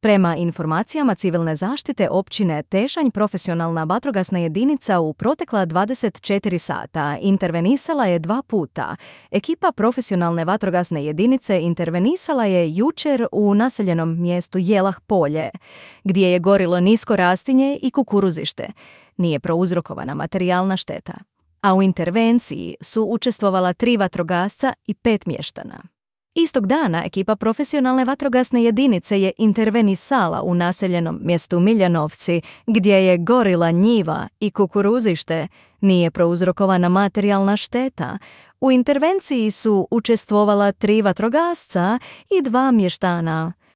Prema informacijama civilne zaštite općine Tešanj, profesionalna vatrogasna jedinica u protekla 24 sata intervenisala je 2 puta. Ekipa profesionalne vatrogasne jedinice intervenisala je jučer u naseljenom mjestu Jelah Polje, gdje je gorilo nisko rastinje i kukuruzište. Nije prouzrokovana materijalna šteta. A u intervenciji su učestvovala 3 vatrogasca i 5 mještana. Istog dana ekipa profesionalne vatrogasne jedinice je intervenisala u naseljenom mjestu Miljanovci, gdje je gorila njiva i kukuruzište. Nije prouzrokovana materijalna šteta. U intervenciji su učestvovala 3 vatrogasca i 2 mještana.